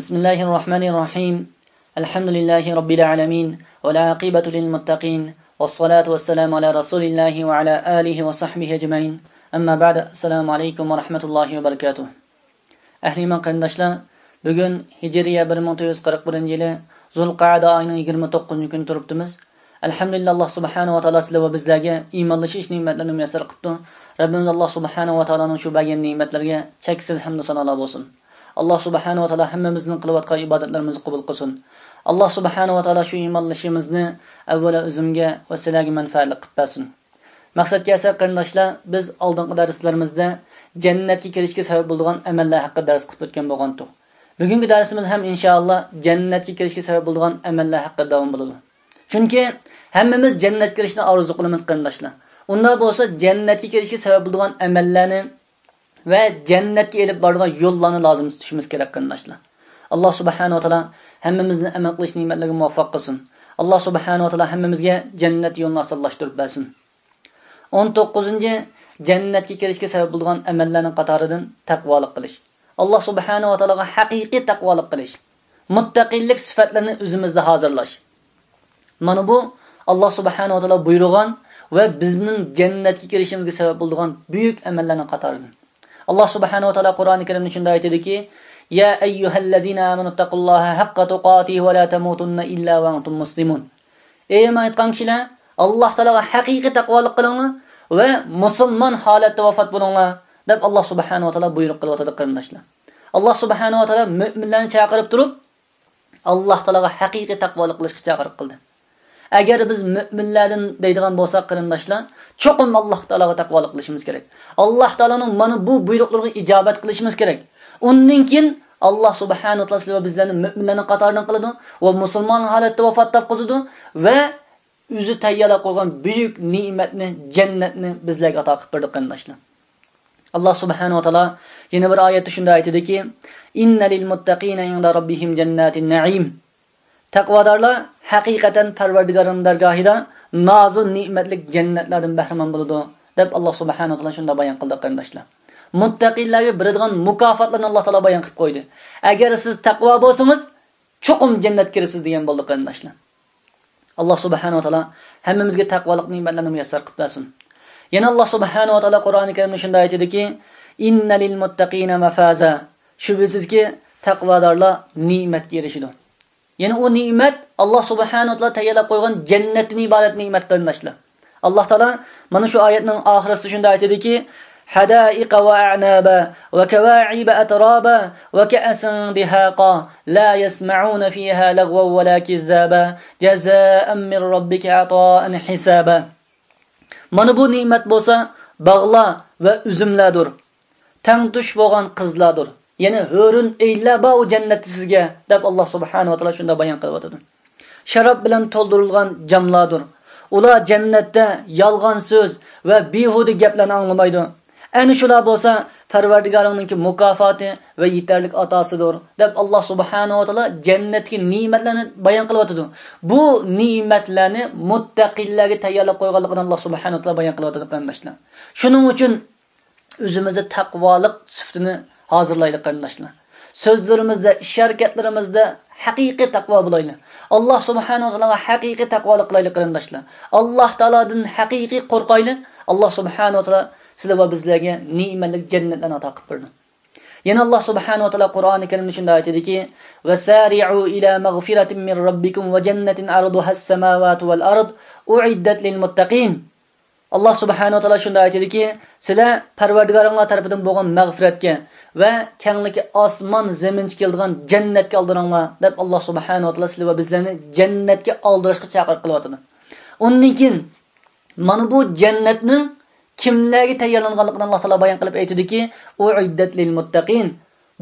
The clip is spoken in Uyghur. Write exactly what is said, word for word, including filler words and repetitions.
بسم الله الرحمن الرحيم. الحمد لله رب العالمين، والعاقبة للمتقين، والصلاة والسلام على رسول الله وعلى آله وصحبه أجمعين. أما بعد، السلام عليكم ورحمة الله وبركاته. ئەھلى ئىمان قېرىنداشلار، بۈگۈن ھىجرىيە بىر مىڭ تۆت يۈز قىرىق بىرىنچى يىلى زۇلقەئدە ئايىنىڭ يىگىرمە توققۇزىنچى كۈنى تۇرۇپتىمىز. ئەلھەمدۇلىللا، ئاللا سۇبھانەھۇ ۋە تائالا سىلەر ۋە بىزلەرگە ئىمانلىشىش نېمەتلىرىنى مۇيەسسەر قىپتۇ. رەببىمىز ئاللا سۇبھانەھۇ ۋە تائالانىڭ شۇ بەرگەن نېمەتلىرىگە چەكسىز ھەمدۇ سانالار بولسۇن. ئاللا سۇبھانەھۇ ۋە تائالا ھەممىمىزنىڭ قىلىۋاتقان ئىبادەتلىرىمىزنى قوبۇل قىلسۇن. ئاللا سۇبھانەھۇ ۋە تائالا شۇ ئىمانلىشىشىمىزنى ئەۋۋەلا ئۆزۈمگە ۋە سىلەرگە مەنپەئەتلىك قىلىپ بەرسۇن. مەقسەتكە كەلسەك قېرىنداشلار، بىز ئالدىنقى دەرسلىرىمىزدە جەننەتكە كىرىشكە سەۋەب بولىدىغان ئەمەللەر ھەققىدە دەرس قىلىپ ئۆتكەن بولغانتۇق. بۈگۈنكى دەرسىمىز ھەم ئىنشائاللا جەننەتكە كىرىشكە سەۋەب بولىدىغان ئەمەللەر ھەققىدە داۋام بولىدۇ. چۈنكى ھەممىمىز جەننەتكە كىرىشنى ئارزۇ قىلىمىز قېرىنداشلار. ئۇنداق بولسا جەننەتكە كىرىشكە سەۋەب بولىدىغان ئەمەللەرنى ۋە جەننەتكە ئېلىپ بارىدىغان يوللارنى لازىم تۇتۇشىمىز كېرەك قېرىنداشلار. ئاللا سۇبھانەھۇ ۋە تائالا ھەممىمىزنى ئەمەل قىلىش نېمەتلىرىگە مۇۋەپپەق قىلسۇن. ئاللا سۇبھانەھۇ ۋە تائالا ھەممىمىزگە جەننەت يولىنى ئاسانلاشتۇرۇپ بەرسۇن. ئون توققۇزىنچى، جەننەتكە كىرىشكە سەۋەب بولىدىغان ئەمەللەرنىڭ قاتارىدىن تەقۋالىق قىلىش. ئاللا سۇبھانەھۇ ۋە تائالاغا ھەقىقىي تەقۋالىق قىلىش. مۇتتەقىيلىك سۈپەتلىرىنى ئۆزىمىزدە ھازىرلاش. مانا بۇ ئاللا سۇبھانەھۇ ۋە تائالا بۇيرۇغان ۋە بىزنىڭ جەننەتكە كىرىشىمىزگە سەۋەب بولىدىغان بۈيۈك ئەمەللەرنىڭ قاتارىدىن. ئاللا سۇبھانەھۇ ۋە تائالا قۇرئانى كەرىمدە شۇنداق ئېيتىدۇكى، يا أيها الذين آمنوا اتقوا الله حق تقاته ولا تموتن إلا وأنتم مسلمون. ئەي ئىمان ئېيتقان كىشىلەر، ئاللا تائالاغا ھەقىقىي تەقۋالىق قىلىڭلار ۋە مۇسۇلمان ھالەتتە ۋاپات بولۇڭلار، دەپ ئاللا سۇبھانەھۇ ۋە تائالا بۇيرۇق قىلىۋاتىدۇ قېرىنداشلار. ئاللا سۇبھانەھۇ ۋە تائالا مۆمىنلەرنى چاقىرىپ تۇرۇپ، ئاللا تائالاغا ھەقىقىي تەقۋالىق قىلىشقا چاقىرىق قىلدى. ئەگەر بىز مۆمىنلەردىن دەيدىغان بولساق قېرىنداشلار، چوقۇم ئاللا تائالاغا تەقۋالىق قىلىشىمىز كېرەك. ئاللا تائالانىڭ مانا بۇ بۇيرۇقلىرىغا ئىجابەت قىلىشىمىز كېرەك. ئۇندىن كېيىن ئاللا سۇبھانەھۇ ۋە تائالا سىلەر ۋە بىزلەرنى مۆمىنلەرنىڭ قاتارىدىن قىلىدۇ ۋە مۇسۇلمان ھالەتتە ۋاپات تاپقۇزىدۇ ۋە ئۆزى تەييارلاپ قويغان بۈيۈك نېمەتنى، جەننەتنى بىزلەرگە ئاتا قىلىپ بېرىدۇ قېرىنداشلار. ئاللا سۇبھانەھۇ ۋە تائالا يەنە بىر ئايەتتە شۇنداق ئېيتىدۇكى، إن للمتقين عند ربهم جنات النعيم. تەقۋادارلار ھەقىقەتەن پەرۋەردىگارىنىڭ دەرگاھىدا نازۇ نېمەتلىك جەننەتلەردىن بەھرىمەن بولىدۇ، دەپ ئاللا سۇبھانەھۇ ۋە تائالا شۇنداق بايان قىلدى قېرىنداشلار. مۇتتەقىنلەرگە بېرىدىغان مۇكاپاتلارنى ئاللا تائالا بايان قىلىپ قويدى. ئەگەر سىز تەقۋا بولسىڭىز، چوقۇم جەننەتكە كىرىسىز دېگەن بولدى قېرىنداشلار. ئاللا سۇبھانەھۇ ۋە تائالا ھەممىمىزگە تەقۋالىق نېمەتلىرىنى مۇيەسسەر قىلىپ بەرسۇن. يەنە ئاللا سۇبھانەھۇ ۋە تائالا قۇرئانى كەرىمدە شۇنداق ئېيتىدۇكى، إن للمتقين مفازا. شۈبھىسىزكى، تەقۋادارلار نېمەتكە ئېرىشىدۇ. يەنى ئۇ نېمەت ئاللا سۇبھانەھۇ ۋە تائالا تەييارلاپ قويغان جەننەتتىن ئىبارەت نېمەت قېرىنداشلار. ئاللا تائالا مانا شۇ ئايەتنىڭ ئاخىرىسىدا شۇنداق ئېيتىدۇكى، حدائق وأعنابا وكواعب أترابا وكأسا دهاقا لا يسمعون فيها لغوا ولا كذابا جزاء من ربك عطاء حسابا. مانا بۇ نېمەت بولسا باغلار ۋە ئۈزۈملەردۇر. تەڭتۇش بولغان قىزلاردۇر. يەنى ھۆرۈن ئەينلەر بار ئۇ جەننەتتە سىزگە، دەپ ئاللا سۇبھانەھۇ ۋە تائالا شۇنداق بايان قىلىۋاتىدۇ. شاراب بىلەن تولدۇرۇلغان جاملاردۇر. ئۇلار جەننەتتە يالغان سۆز ۋە بىھۇدە گەپلەرنى ئاڭلىمايدۇ. ئەنە شۇلار بولسا پەرۋەردىگارىڭنىڭكى مۇكاپاتى ۋە يېتەرلىك ئاتاسىدۇر، دەپ ئاللا سۇبھانەھۇ ۋە تائالا جەننەتتىكى نېمەتلەرنى بايان قىلىۋاتىدۇ. بۇ نېمەتلەرنى مۇتتەقىنلەرگە تەييارلاپ قويغانلىقىنى ئاللا سۇبھانەھۇ ۋە تائالا بايان قىلىۋاتىدۇ قېرىنداشلار. شۇنىڭ ئۈچۈن ئۆزىمىزدە تەقۋالىق سۈپىتىنى ھازىرلايلى قېرىنداشلار. سۆزلىرىمىزدە، ئىش-ھەرىكەتلىرىمىزدە ھەقىقىي تەقۋا بولايلى. ئاللا سۇبھانەھۇ ۋە تائالاغا ھەقىقىي تەقۋالىق قىلايلى قېرىنداشلار. ئاللا تائالادىن ھەقىقىي قورقايلى. ئاللا سۇبھانەھۇ ۋە تائالا سىلەر ۋە بىزلەرگە نېمەتلىك جەننەتلەرنى ئاتا قىلىپ بېرىدۇ. يەنە ئاللا سۇبھانەھۇ ۋە تائالا قۇرئانى كەرىمدە شۇنداق ئېيتىدۇكى، وسارعوا إلى مغفرة من ربكم وجنة عرضها السماوات والأرض أعدت للمتقين. ئاللا سۇبھانەھۇ ۋە تائالا شۇنداق ئېيتىدۇكى، سىلەر پەرۋەردىگارىڭلار تەرىپىدىن بولغان مەغپىرەتكە ۋە كەڭلىكى ئاسمان زېمىنچە كېلىدىغان جەننەتكە ئالدىراڭلار، دەپ ئاللا سۇبھانەھۇ ۋە تائالا سىلەر ۋە بىزلەرنى جەننەتكە ئالدىراشقا چاقىرىق قىلىۋاتىدۇ. ئۇندىن كېيىن مانا بۇ جەننەتنىڭ كىملەرگە تەييارلانغانلىقىنى ئاللا تائالا بايان قىلىپ ئېيتىدۇكى، أعدت للمتقين،